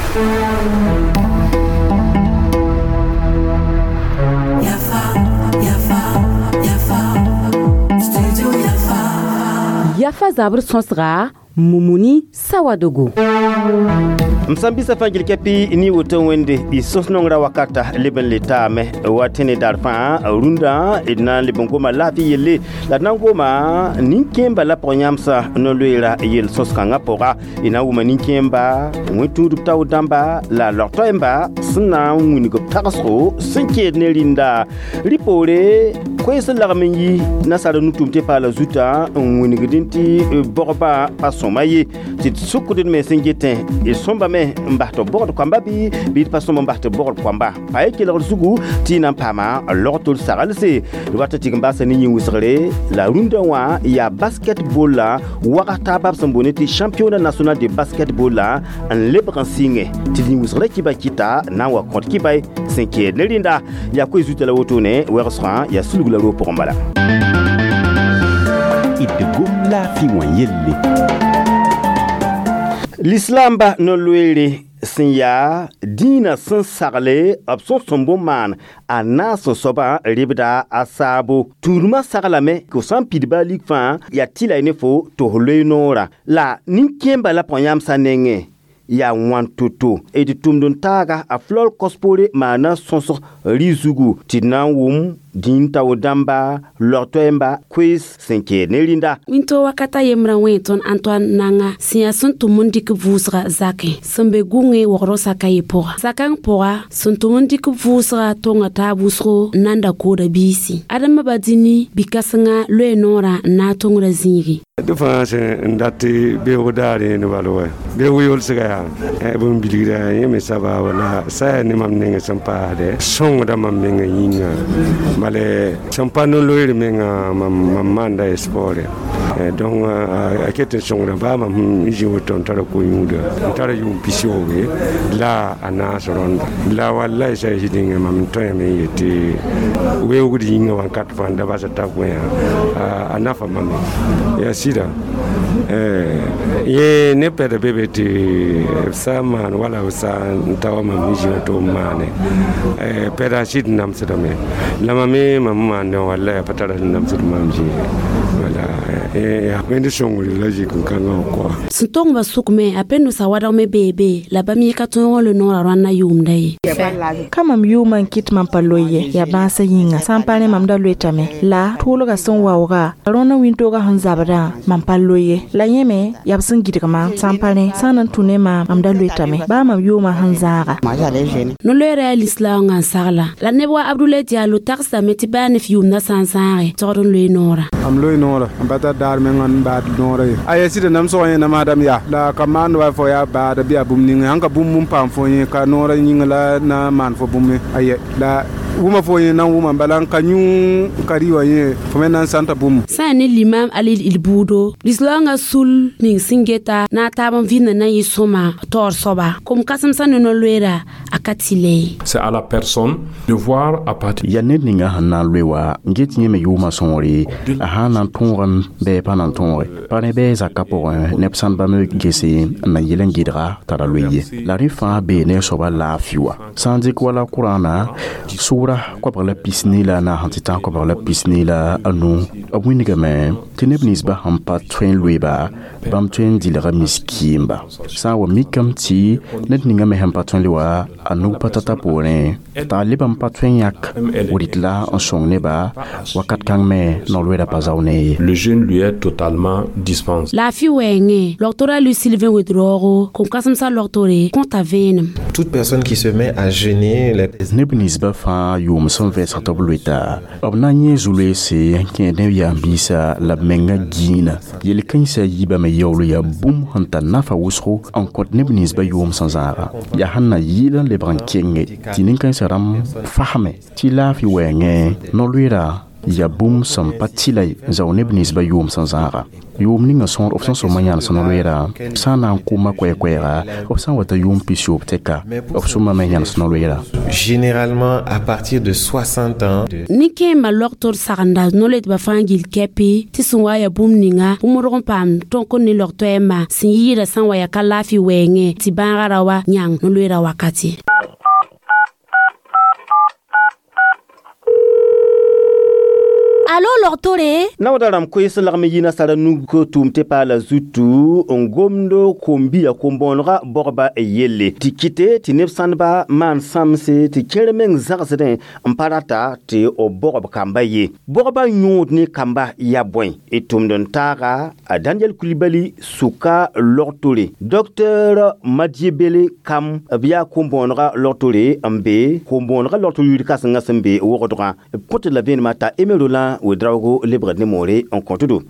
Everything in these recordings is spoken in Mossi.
Yafa, Yafa, Yafa, Studio Yafa. Yafa zabr sõsga Mumuni Sawadogo. M sã n bisa fãa gil kɛpɩ ne woto wẽnde y sõs nongrã wakata leb n le taame wa tẽne daar fãa rũndã d na n leb n goma laafɩ yelle la d na n goma nin-kẽemba la pʋg-yãmsã no-loeera yel-sõs-kãngã pʋga y na n wʋma nin-kẽemba wẽn-tũudb tao dãmba la log-toɛɛmba sẽn na n wilg b tagsgo sẽn keed ne rĩnda rɩ poore koees n lagm n yi nasaar nu-tʋʋm tɩ paala zutã n wingdẽ tɩ bɔgba pa sõma ye tɩ d sʋkd d mens n getẽ d sõmbame n bas tɩ b bogd koamba bɩ bɩ d pa sõm n bas tɩ b bogd koamba pa ye kelgd zugu tɩ y na n paama log-tol saglse d wat tɩ tɩg n baasa ne yĩn-wʋsgre la rũndã wã yaa basketball la wagas taaba b sẽn boone tɩ championnat national de basketball la n lebg n sɩngẽ tɩ d yĩn-wʋsgrã kiba kɩta na n wa kõt kibay sẽn keed ne rẽnda yaa koe zuta la wotone wɛgsgã yaa sulg la roog pʋgẽ bala. D gom laafɩ wã yelle. Lislaamba no-loeere sẽn yaa dĩinã sẽn sagle b sẽn sõm bõn-maan a naas n soabã rɩbda a saabo tũudmã saglame tɩ f sã n pidba a lig fãa yaa tɩ la y ne fo tɩ f loe noorã la nin-kẽemba la pʋg-yãmsã nengẽ yaa wãn to-to d tʋmd n taaga a flor kos-poore maana sõsg rɩ zugu tɩ d na n wʋm dĩin tao dãmba log-toɛɛmba koees sẽn keed ne rĩnda. Wĩnto wakata yembrã wẽ tõnd Antoine nanga sẽn yaa sẽn tʋm n dɩk vʋʋsga zakẽ sẽn be gũngẽ wogrɔ saka ye pʋga zakãng pʋga sẽn tʋm n dɩk vʋʋsga tonga taab wʋsgo n nan da kooda biisi adama ba dĩni bi-kãsenga loe noorã n na n tongrã zĩigẽ. Dẽ fãa sẽn n dat tɩ beoog daar yẽnd bal wa beoog yolsga yaa bũmb bilgda yẽ me saba wala sã yaa ne mam nengẽ sẽn paasdɛ sõngda mam mengã yĩnga bala sẽn pa no-loeer menga mam maanda sport donc a ket n sõngda baa mam n zĩ woto n tara ko-yũuda n tara yʋʋm 80 la a naas rõnda la wallay sa zĩdẽngã mam n tõeme n yetɩ weoogd yĩnga wãnkat fãa n da basa t'a gõe a nafa mame yaa sɩda yẽ ne pɛda be be tɩ b sã n maan wala b sã n ta wa mam zĩ tɩ b maane pɛda sɩd namsdame la mam me mam maandẽ wallay a pa tara sẽn namsd mam zĩ wala wẽnd sõngre la zĩk-n-kãngã wã koa. Sẽn tongba sʋkme a pẽnd sa wadg me beebe la bãmb yẽ ka tõog n le noorã rãnna yʋʋmda ye. Ka mam yʋʋmã n kɩt mam pa loe ye yaa bãasã yĩnga sã n pa rẽ mam da loetame la tʋʋlgã sẽn waooga rõnã wĩntoogã sẽn zabdã mam pa loe ye la yẽ me yaa b sẽn gɩdgmã sã n pa rẽ sã n na n tũ ne maam mam da loetame baa mam yʋʋmã sẽn zãaga. No-loeera yaa lislaoongã n sagla la neb wa Abdulay Diallo tagsdame tɩ baa ne f yʋʋmdã sã n zãage togd n loe noorã. Mam loe noorã n pa tar daar mengã n baad noorã ye a yaa sɩda namsgã yẽ namaadame yaa la ka maand wa fo yaa baada bɩ yaa bũmb ninga sãn ka bũmb n paam fo yẽ ka noorã yĩnga la na n maan fo bũmb aye la wʋma fo yẽ na n wʋma bala n ka yũ ka rɩ wã yẽ fo me na n sãnta bũmb. Sã n ne limam Alil il buudo lislaoongã sul ning sẽn geta na a taab n vɩɩmdã na n yɩ sõma taoor soaba kom kãsemsã ne no-loeera a ka tɩ le ye. C'est à la personne de voir à partir Yaa ned ninga sẽn na n loe wa n get yẽ me yʋʋmã sõore a sã n na n tõogame bɩ pa na n tõoge pa rẽ bɩ zakã pʋgẽ neb sãn bãmb gese n na yel n gɩdga t'a ra loe ye la rẽ fãa bee ne a soabã laafɩ wa sã n dɩk wala Kʋrãana sʋʋra 24 la 4 la 25 b wĩnigame tɩ neb ninsbã sẽn pa tõe n loeba bãmb tõe n dɩlga miskiimba sã n wa mikame tɩ ned ninga me sẽn pa tõe n le wa a nug pa tata poorẽ t'a lebã n pa tõe n yãk rɩt la n sõng neba wakat kãng me no-loeera pa zao ne ye. Le jeûne lui est totalement dispensé. Laafɩ wɛɛngẽ logtora Lui Sylvain Ouedraogo kom-kãsemsã logtore kõta vẽenem. Toute personne qui se met à jeûner, les Neb ninsbã fãa yʋʋm sẽn vɛɛsg tɩ b loeta b na n yẽ zu-loeese n kẽed neb yaam-biisã la b menga gĩinã yel-kãensã yiibame yaool yaa bũmb sẽn tar nafa wʋsgo n kõt neb ninsbã yʋʋm sẽn zãaga yaa sẽn na yɩɩl n lebg n kenge tɩ nin-kãensã rãmb fasme tɩ laafɩ wɛɛngẽ no-loeera Yaa bũmb sẽn pa tɩla n zao neb ninsbã yʋʋm sẽn zãaga. Yʋʋm ninga sõor b sẽn sõma yãnes no-loeera, sã n na n kʋʋma koɛɛ-koɛɛga, b sã n wa ta yʋʋm pisoobr tɛka, b sõmame yãnes no-loeera. Généralement, à partir de 60 ans. Nin-kẽembã logtr sagenda no-loetbã fãa gill kɛpɩ tɩ sẽn wa yaa bũmb ninga bũmdg n paam tõk ne log-toɛɛmbã sẽn yɩɩda sã n wa yaa ka laafɩ wɛɛngẽ tɩ bãagã ra wa yãng no-loeera wakati. Alo logtore. Naoodã rãmb koees n lagm n yi nasara nug tʋʋm tɩ paala zutu n gomd kom-biya kom-bõonega bɔgba yelle tɩ kɩte tɩ neb sãndba maan sãmse tɩ kẽer meng zãgsdẽ n pa rata tɩ b bɔgb kamba ye. Bɔgba yõod ne kamba yaa bõe? D tʋmd n taaga a Daniel Kulibali sʋka logtore. Docteur Madiebele Kam b yaa kom-bõonega logtore n be kom-bõonega logtor yir kãsengã sẽn be wogdgã. B kõt la vẽenemã t'a Aimé Roland Ouedraogo lebgd ne moore n kõt-do.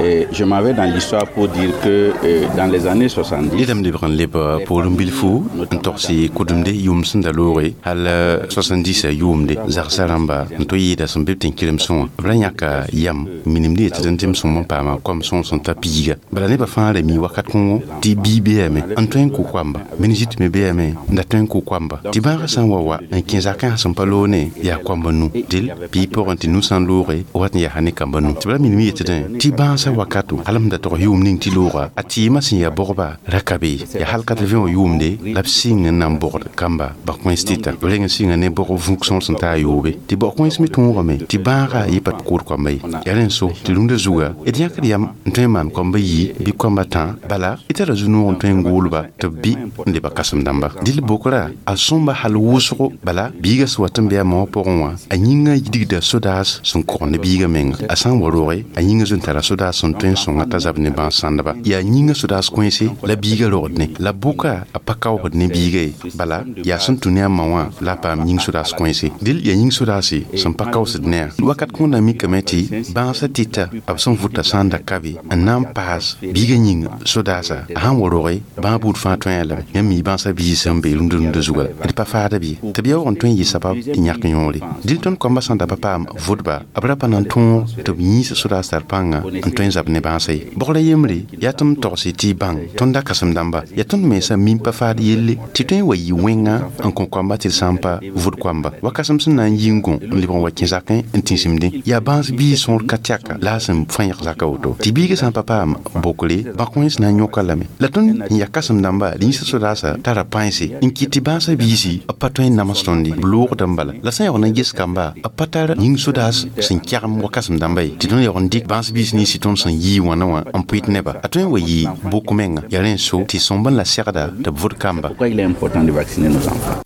Et je m'en vais dans l'histoire pour dire que dans les années 70, Ned m lebg n leb poorẽ bilfu n togs kʋdemde yʋʋm sẽn da looge hal 70 yʋʋmde zagsã rãmba n tɩ yɩɩda sẽn be b tẽn-kelemsẽ wã b ra yãka yam minimd yetɩ d tɩ m sõm n paama koam sõor sẽn ta piiga. Bala nebã fãa ra mi wakat kõngo tɩ bii beame n tõe n kʋ koamba, meningite me beame n da tõe n kʋ koamba, tɩ bãagã sã n wa wa n kẽ zakã sẽn pa loone yaa koamba nu dɩl pii pʋgẽ tɩ nu sã n looge wat n yaa ne kamba nu. Tɩ b ra minim yetɩdẽ tɩ bãasã wakato hal m da tog yʋʋm ning tɩ looga a tɩɩmã sẽn yaa bɔgba ra ka be yaa hal 80 wã yʋʋmde la b sɩng n na n bɔgd kamba bã-kõens tɩta b reng n sɩnga ne bɔg vũk sõor sẽn taa yoobe tɩ bɔ-kõens me tõogame tɩ bãaga yɩ pa tɩ kood koamba ye. Yaa rẽ n so tɩ rũndã zuga d yãkd yam n tõe n maan koamba yi bɩ koamba tã bala d tara zu-noog n tõe n goolba tɩ b bɩ n leba kãsem dãmba. Dɩl bokra a sõmba hal wʋsgo bala biiga sẽn wat n be a ma wã pʋgẽ wã a yĩngã digda sodaas sẽn kogend biigã menga. A sã n wa roge a yĩngã zoe n tara sodaas sẽn tõe n sõnga t'a zab ne bãas sãndba. Yaa yĩngã sodaas kõese la biigã rogd ne la bʋka a pa kaoosd ne biiga ye bala yaa sẽn tũ ne a ma wã la a paam yĩng sodaas kõese. Dɩl yaa yĩng sodaase sẽn pa kaoosd ne a. Wakat kõnda mikame tɩ bãasã tɩta b sẽn vʋta sã n da ka be n na n paas biigã yĩng sodaasa a sãn wa roge bãag buud fãa tõe a lame. Yãmb mi bãasã biis sẽn be rũndã rũndã zuga d pa faada bɩ tɩ b yaoog n tõe n yɩ sabab n yãk yõore. Dɩl tõnd koambã sãn da pa paam vʋdba b ra pa na n tõog tɩ b yĩis sodaas tar pãnga n tõe n zab ne bãasã ye. Bɔgrã yembre yaa tɩ m togse tɩ y bãng tõnd da kãsem dãmba yaa tõnd mensã mim pa faad yelle tɩ tõe n wa yɩ wẽnga n kõ koamba tɩ d sã n pa vʋd koamba. Wakasem sẽn na n yi n gõ n lebg n wa kẽ zakẽ n tĩsimdẽ yaa bãas biis sõor ka tɛka la a sẽn fãyg zaka woto tɩ biigã sã n pa paam bokre bã-kõens na n yõka lame. La tõnd n yaa kãsem dãmba d yĩsa sodaasã tara pãense n kɩt tɩ bãasã biisi b pa tõe n nams tõnd ye b loogdã n bala la sã n yaool n ges kamba b pa tar yĩng sodaas sẽn kɛgem wa kãsem dãmba ye tɩ tõnd yaool n dɩk bãas biis nins tɩ tõnd sẽn yii wãna wã n pʋɩt neba a tõe n wa yɩ bok menga yaa rẽ n so tɩ sõmb n la segda tɩ b vʋd kamba. Pourquoi il est important de vacciner nos enfants?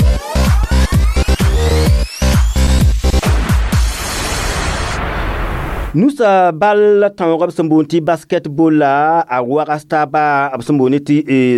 Nusa bal tãoog b sẽn boond tɩ basketball la a wagas taaba b sẽn boond tɩ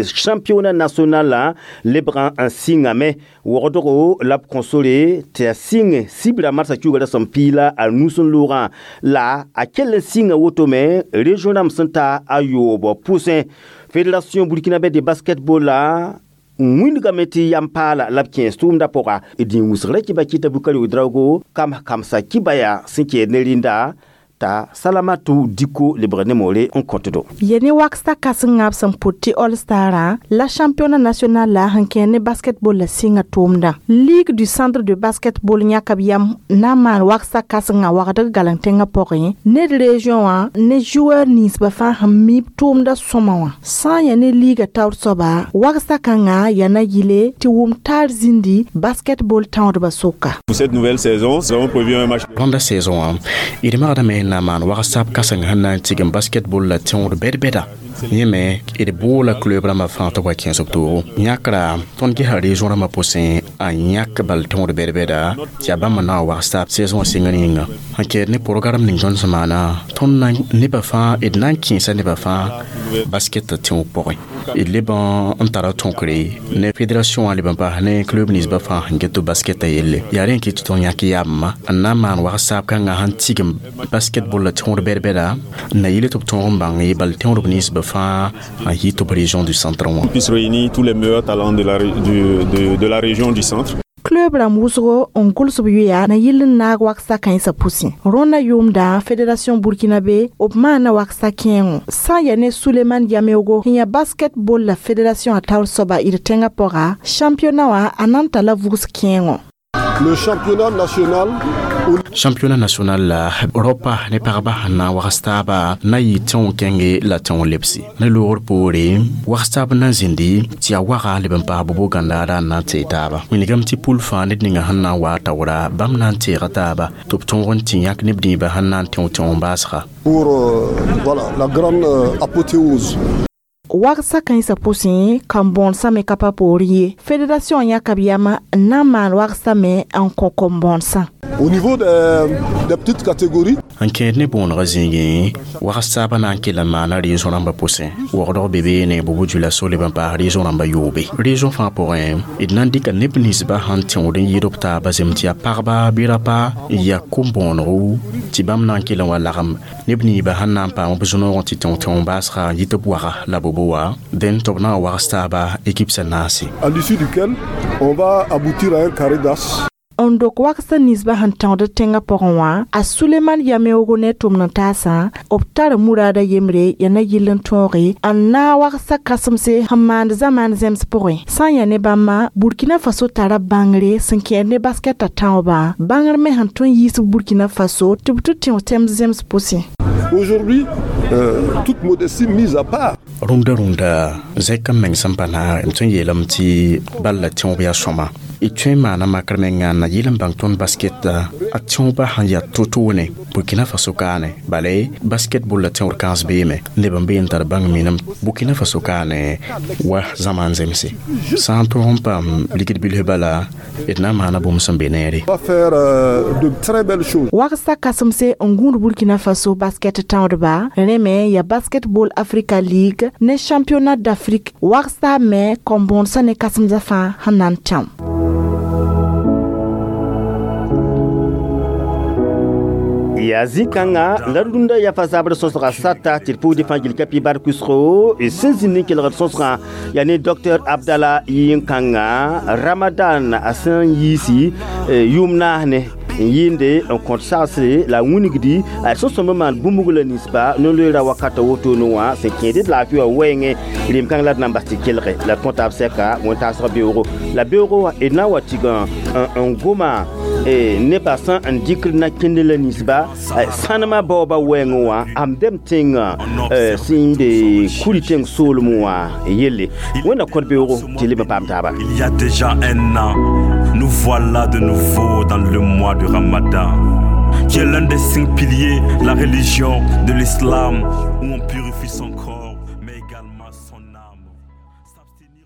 championnat national la lebgã n sɩngame wogdgo la b kõ sore tɩ a sɩng sibra marsã kiuga ra sẽn piila a nus n loogã la a kell n sɩnga woto me région rãmb sẽn ta a yoob pʋsẽ. Fédération burkinabé de basketball la wĩndgame tɩ yam paala la b kẽes tʋʋmdã pʋga d yĩn wʋsgrã kɩba kɩta Bukari Ouedraogo kam kamsa kɩba yaa sẽn kɛɛd ne rĩnda t'a Salamatu Diko lebg ne moore n kõtdo. Ye ne waksta kãsengã b sẽn pʋt tɩ All Starã la championnat national la sẽn kẽ ne basketball la sɩnga tʋʋmdã. Ligue du centre de basketball yãka b yam na n maan waksta kãsengã wagdg galeng tẽngã pʋgẽ ne d région wã ne joueur ninsbã fãa sẽn mi b tʋʋmdã sõma wã. Sã n yaa ne liiga taoor soaba waksta kãngã yaa na yɩle tɩ wʋm taar zĩndi basketball tãoodbã sʋka. Pour cette nouvelle saison, nous avons prévu un match. Rãnda saison wã d magdame n na n maan wagsab kãseng sẽn na n tigim basketball la tẽood bɛd-bɛda. Yẽ me d boola club rãmbã fãa tɩ b wa kẽes b toogo. Yãkra tõnd gesa région rãmbã pʋsẽ a yãk bal tõod bɛd-bɛda tɩ yaa bãmb n na n wags taab saison wã sɩngr yĩnga. Sẽn kɛɛd ne programme ning tõnd sẽn maana tõnd na nebã fãa d na n kẽesa nebã fãa basket tẽoog pʋgẽ. D leb n tara tõkre ne fédération wã leb n paas ne club ninsbã fãa sẽn get tɩ basketã yelle. Yaa rẽ n kɩt tɩ tõnd yãk yaabmã n na n maan wags-saab kãngã sẽn tigim basketball la tõod bɛd-bɛda n na yɩle tɩ b tõog n bãng ye bal tõodb ninsbã fãa n yɩ tɩ b région du centre wã. Puisse réunir tous les meilleurs talents de la région du centre. Club rãmb wʋsgo n gʋls b yoya na yɩl n naag waksa kãensã pʋsẽ. Rõndã yʋʋmdã fédération burkinabé b maana waksa kẽengo sã n yaa ne Suleman Yameogo sẽn yaa basketball la fédération a taoor soaba d tẽngã pʋga championnat wã a na n talla vugs kẽengo. Le championnat national. Championnat national la rɔpa ne pagba sẽn na n wags taaba na yɩ tẽong kẽnge la tẽong lebse ne loogr poore wags taab na n zĩndi tɩ yaa waga leb n paas bobo gãndaara n na n tee taaba. Wilgame tɩ pʋl fãa ned ninga sẽn na n waa taoora bãmb na n teega taaba tɩ b tõog n tɩ yãk neb dĩibã sẽn na n tẽo tẽong baasga. Pour voilà, la grande apothéose. Wagsa kãensã pʋsẽ kambõodsã me ka pa poorẽ ye. Fédération yãka b yam n na n maan wagsã me n kõ kom-bõodsã. Au niveau des petites catégories, n kẽed ne bõonegã zĩigẽ wags taabã na n kell n maana région rãmbã pʋsẽ. Wogdg be beene bobo dioulasso leb n paas région rãmbã yoobe. Région fãa pʋgẽ d na n dɩka neb ninsbã sẽn tẽod n yɩɩd b taabã zem tɩ yaa pagba bɩ rapa n yaa kom-bõonego tɩ bãmb na n kell n wa lagem neb niibã sẽn na n paam b zũnoogẽ tɩ tẽo tẽo baasga n yɩ tɩ b waga la bobo wa dẽn tɩ b na n wags taaba équipe sã naase. À l'issue duquel on va aboutir à un carré d'as. N dok wagsã ninsbã sẽn tãood tẽngã pʋgẽ wã a Suleman Yameogo ne tʋmd n taasã b tar muraada yembre yaa na yɩl n tõoge n naag wagsã kãsemse sẽn maand zamaan zẽms pʋgẽ. Sã n yaa ne bãmba Burkina Faso tara bãngre sẽn kẽed ne baskɛtã tãoobã bãngr me sẽn tõe n yiis Burkina Faso tɩ b tɩ tẽo tɛm zems pʋsẽ. Aujourd'hui, toute modestie mise à part. Rũndã rũndã zẽk n meng sẽn pa naag m tõe n yeelame tɩ bal la tẽob yaa sõma d tõe n maana makr menga n na yɩl n bãng tõnd basketa a tẽoobã sẽn yaa to-toone Burkina Faso kaane bale basketball la tẽoor kãens beeme neb n be n tar bãng minem Burkina Faso kaane wa zãmaan zemse sã n tõog n paam ligd bilf bala d na n maana bũmb sẽn be neere. Va faire de très belles choses. Wagsã kãsemse n gũud Burkina Faso basket tãoodba rẽ me yaa Basketball Africa League ne championnat d'Afrique wagsã me kom-bõodsã ne kãsemsã fãa sẽn na n tẽo. Yaa zĩ-kãngã la rũndã yafa zabr sõsga sata tɩ d pʋgd fãa gil ka pi bar kʋsgo sẽn zĩnd n kelgd sõsgã yaa ne docteur Abdala yɩn-kãngã Ramadan a sẽn yiisi yʋʋm naas ne n yɩɩnde n kõt sagsre la wĩnigdi a sẽn sõmb n maan bũmb la ninsba no-loeera wakata wotone wã sẽn kẽed d laafɩ wã wɛɛngẽ rem-kãng la d na n bas tɩ kelge la d kõ taab sɛka wẽn-taasg beoogo la beoogo wã d na n wa tɩg n goma nebã sẽn n dɩkd na kẽnd la ninsba sãnemã baoobã wɛɛngẽ wã am dɛm tẽngã sẽn be kuri tẽng soolem wã yelle wẽnna kõt beoogo tɩ leb n paam taaba. Il y a déjà un an, nous voilà de nouveau dans le mois de Ramadan, qui est l'un des 5 piliers de la religion de l'islam, où on purifie son